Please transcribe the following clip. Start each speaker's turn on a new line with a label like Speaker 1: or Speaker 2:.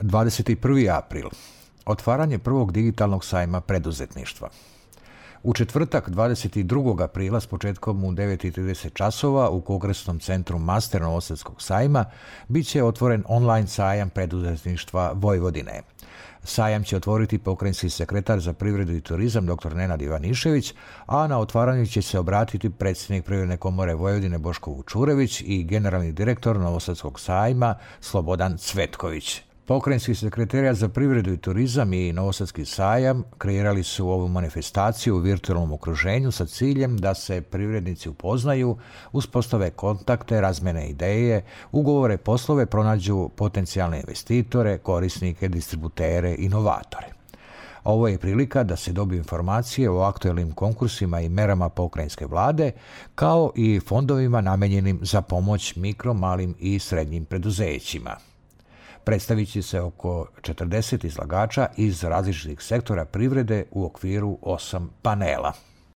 Speaker 1: 21. april. Otvaranje prvog digitalnog sajma preduzetništva. U četvrtak 22. aprila s početkom u 9:30 časova u Kongresnom centru Master Novosadskog sajma bit će otvoren online sajam preduzetništva Vojvodine. Sajam će otvoriti pokrajinski sekretar za privredu i turizam dr. Nenad Ivanišević, a na otvaranju će se obratiti predsjednik Privredne komore Vojvodine Boško Vučurević i generalni direktor Novosadskog sajma Slobodan Cvetković. Pokrajinski sekretarijat za privredu i turizam i Novosadski sajam kreirali su ovu manifestaciju u virtualnom okruženju sa ciljem da se privrednici upoznaju, uspostave kontakte, razmene ideje, ugovore poslove, pronađu potencijalne investitore, korisnike, distributere, inovatore. Ovo je prilika da se dobiju informacije o aktuelnim konkursima i merama pokrajinske vlade, kao i fondovima namenjenim za pomoć mikro, malim i srednjim preduzećima. Predstavit će se oko 40 izlagača iz različitih sektora privrede u okviru 8 panela.